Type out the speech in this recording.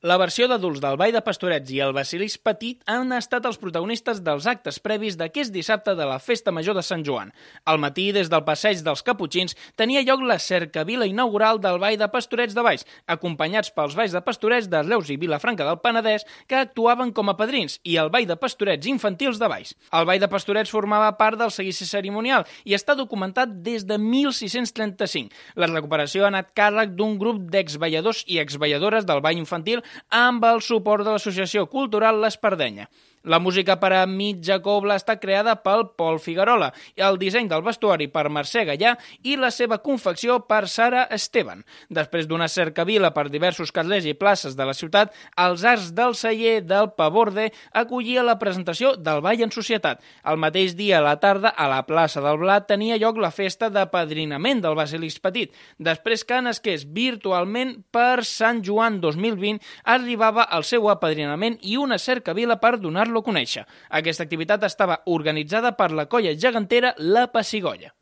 La versió d'adults del Ball de Pastorets i el Basilisc Petit han estat els protagonistes dels actes previs d'aquest dissabte de la Festa Major de Sant Joan. Al matí, des del passeig dels Caputxins, tenia lloc la cercavila inaugural del Ball de Pastorets de Valls, acompanyats pels Balls de Pastorets de Reus i Vilafranca del Penedès, que actuaven com a padrins, i el Ball de Pastorets infantils de Valls. El Ball de Pastorets formava part del seguici cerimonial i està documentat des de 1635. La recuperació ha anat càrrec d'un grup d'exballadors i exballadores del ball infantil amb el suport de l'Associació Cultural l'Espardenya. La música per a mitja cobla està creada pel Pol Figuerola, el disseny del vestuari per Mercè Gallà i la seva confecció per Sara Esteban. Després d'una cercavila per diversos carrers i places de la ciutat, els arcs del celler del Paborde acollia la presentació del Ball en Societat. El mateix dia a la tarda, a la plaça del Blat, tenia lloc la festa d'apadrinament del Basilisc Petit. Després que nasqués virtualment per Sant Joan 2020, arribava el seu apadrinament i una cercavila per donar-lo a conèixer. Aquesta activitat estava organitzada per la colla gegantera La Pessigolles.